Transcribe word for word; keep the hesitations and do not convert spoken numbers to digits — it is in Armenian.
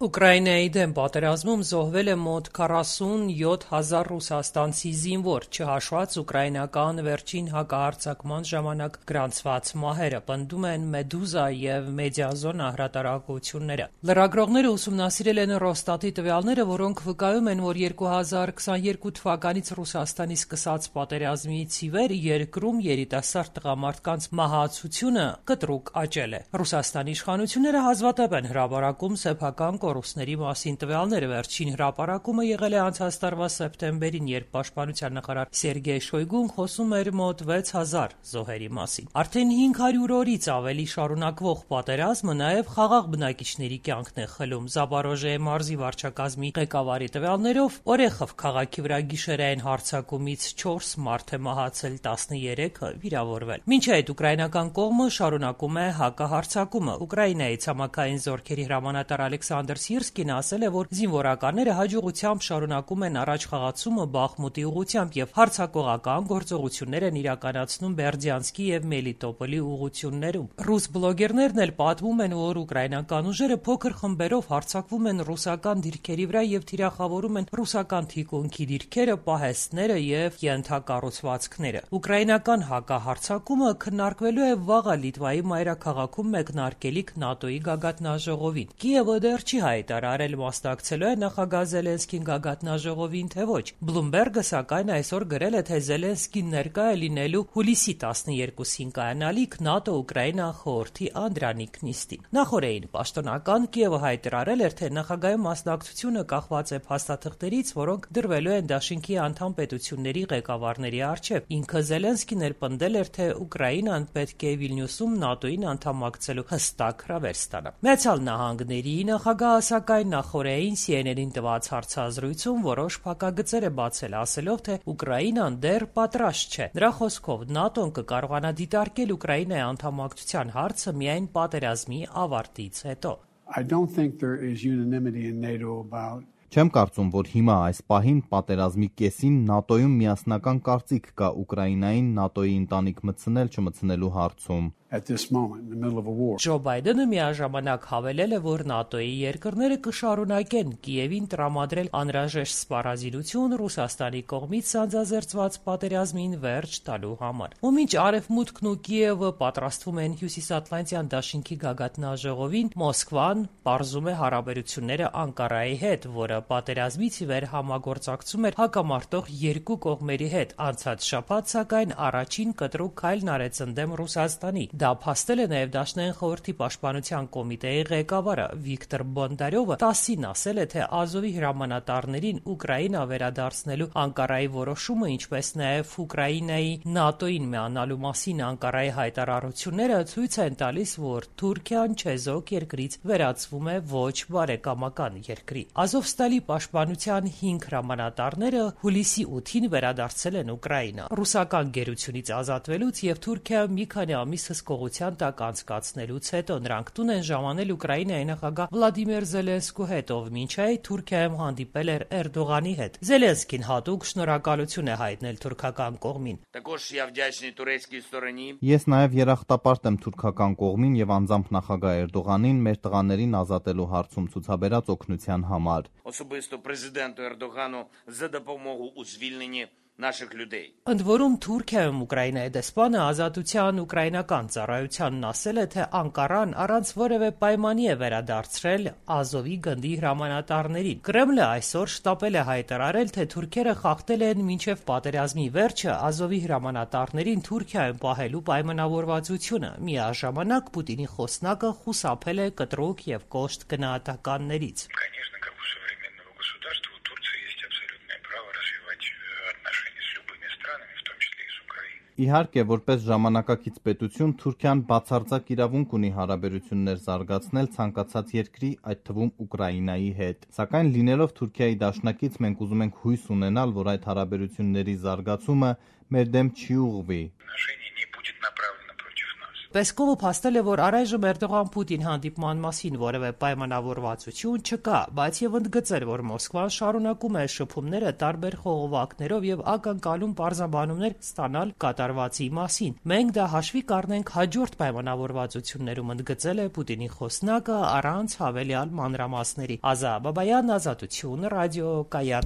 Ուկրաինայի դեմ պատերազմում զոհվել է մոտ քառասունյոթ հազար ռուսաստանցի զինվոր, չհաշված ուկրաինական վերջին հակահարձակման ժամանակ գրանցված մահերը, պնդում են «Մեդուզա» և «Մեդիազոնա» հրատարակությունները։ Լրագրողները ուսումնասիրել են Ռոստատի տվյալները, որոնք վկայում են, որ երկու հազար քսաներկու թվականից Ռուսաստանի սկսած պատերազմից ի վեր երկրում երիտասարդ տղամարդկանց մահացությունը կտրուկ աճել է։ Ռուսաստանի իշխանությունները հազվադեպ են հրապարակում սեփական կորուստների մասին տվյալները։ Վերջին հրապարակումը եղել է անցած տարվա սեպտեմբերին, երբ պաշտպանության նախարար Սերգեյ Շոյգուն խոսում էր մոտ վեց հազար զոհերի մասին։ Արդեն հինգ հարյուր օրից ավելի շարունակվող պատերազմը նաև խաղաղ բնակիչների կյանքն է խլում։ Զապորոժիեի մարզի վարչակազմի ղեկավարի տվյալներով Օրեխով քաղաքի վրա գիշերային հարձակումից չորս մարդ է մահացել, տասներեքը վիրավորվել։ Մինչ այդ ուկրաինական կողմը շարունակում է հակահարձակումը։ Ուկրաինայի ցամաքային զորքերի հրամանատար Ալեքսանդր Սիրսկին ասել է, որ զինվորականները հաջողությամբ շարունակում են առաջխաղացումը Բախմուտի ուղղությամբ և հարձակողական գործողություններ են իրականացնում Բերդյանսկի և Մելիտոպոլի ուղղություններում։ Ռուս բլոգերներն էլ պատմում են, որ ուկրաինական ուժերը փոքր խմբերով հարձակվում են ռուսական դիրքերի վրա և թիրախավորում են ռուսական թիկունքի դիրքերը, պահեստները և ենթակառուցվածքները։ Ուկրաինական հակահարձակումը քննարկվելու է վաղը Լիտվայի մայրաքաղաքում մեկնարկելիք ՆԱՏՕ-ի գագաթնաժողովին։ Կիևը դեռ չի հայտարարել մասնակցելու է նախագահ Զելենսկին գագաթնաժողովին, թե ոչ։ Բլումբերգը, սակայն, այսօր գրել է, թե Զելենսկին ներկա է լինելու հուլիսի տասներեքուին կայանալիք ՆԱՏՕ-Ուկրաինա խորհրդի անդրանիկ նիստին։ Նախօրեին պաշտոնական Կիևը հայտարարել էր, թե նախագահի մասնակցությունը կախված է փաստաթղթերից, որոնք դրվելու են դաշինքի անդամ պետությունների ղեկավարների առջև։ Ինքը Զելենսկին էլ պնդել էր, թե Ուկրաինան պետք է Վիլնյուսում ՆԱՏՕ-ին անդամակցելու հստակ հրավեր ստանա։ Միացյալ Նահանգների նախագահը, սակայն, նախօրեին Սի Են Են-ին տված հարցազրույցում որոշ փակագծեր է բացել, ասելով, թե Ուկրաինան դեռ պատրաստ չէ։ Նրա խոսքով ՆԱՏՕ-ն կկարողանա դիտարկել Ուկրաինայի անդամակցության հարցը միայն պատերազմի ավարտից հետո։ Չեմ կարծում, որ հիմա այս պահին պատերազմի կեսին ՆԱՏՕ-ում միասնական կարծիք կա Ուկրաինային ՆԱՏՕ-ի ընտանիք մտցնել-չմտցնելու հարցում։ Ջո Բայդենը միաժամանակ հավելել է, որ ՆԱՏՕ-ի երկրները կշարունակեն Կիևին տրամադրել անհրաժեշտ սպառազինություն Ռուսաստանի կողմից սանձազերծված պատերազմին վերջ տալու համար։ Ու մինչ Արևմուտքն ու Կիևը պատրաստվում են Հյուսիսատլանտյան դաշինքի գագաթնաժողովին, Մոսկվան պարզում է հարաբերությունները Անկարայի հետ, որը պատերազմից ի վեր համագործակցում էր հակամարտող երկու կողմերի հետ։ Անցած շաբաթ, սակայն, առաջին կտրուկ քայլն արեց ընդդեմ Ռուսաստանի։ Դա փաստել է նաև Դաշնային խորհրդի պաշտպանության կոմիտեի ղեկավարը Վիկտոր Բոնդարյովը տասին ասել է, թե Ազովի հրամանատարներին Ուկրաինա վերադարձնելու Անկարայի որոշումը, ինչպես նաև Ուկրաինայի ՆԱՏՕ-ին միանալու մասին Անկարայի հայտարարությունները ցույց են տալիս, որ Թուրքիան չեզոք երկրից վերածվում է ոչ բարեկամական երկրի։ Ազովստալի պաշտպանության հինգ հրամանատարները հուլիսի ութին վերադարձել են Ուկրաինա։ Ռուսական գերությունից ազատվելուց և Թուրքիա մի քանի ամիս հսկողության տակ անցկացնելուց հետո նրանք տուն են ժամանել Ուկրաինայի նախագահ Վլադիմիր Զելենսկու հետ, ով մինչ այդ Թուրքիայում հանդիպել էր Էրդողանի հետ։ Զելենսկին հատուկ շնորհակալություն է հայտնել թուրքական կողմին։ Ես նաև երախտապարտ եմ թուրքական կողմին և անձամբ նախագահ Էրդողանին մեր տղաներին ազատելու հարցում ցուցաբերած օգնության համար։ Ընդ որում, Թուրքիայում Ուկրաինայի դեսպանը Ազատության ուկրաինական ծառայությանն ասել է, թե Անկարան առանց որևէ պայմանի է վերադարձրել Ազովի գնդի հրամանատարներին։ Կրեմլը այսօր շտապել է հայտարարել, թե թուրքերը խախտել են մինչև պատերազմի վերջը Ազովի հրամանատարներին Թուրքիայում պահելու պայմանավորվածությունը։ Միաժամանակ Պուտինի խոսնակը խուսափել է կտրուկ և կոշտ գնահատականներից։ Իհարկե, որպես ժամանակակից պետություն, Թուրքիան բացարձակ իրավունք ունի հարաբերություններ զարգացնել ցանկացած երկրի, այդ թվում Ուկրաինայի հետ։ Սակայն լինելով Թուրքիայի դաշնակից, մենք ուզում ենք հույս ունենալ, որ այդ հարաբերությունների զարգացումը մեր դեմ չի ուղղվի։ Պեսկովը փաստել է, որ առայժմ Էրդողան-Պուտին հանդիպման մասին որևէ պայմանավորվածություն չկա, բայց եւ ընդգծել, որ Մոսկվան շարունակում է շփումները տարբեր խողովակներով եւ ակնկալում պարզաբանումներ ստանալ կատարվածի մասին։ Մենք դա հաշվի կառնենք հաջորդ պայմանավորվածություններում, ընդգծել է Պուտինի խոսնակը առանց հավելյալ մանրամասների։ Ազա Բաբայան, Ազատություն, ռադիոկայան։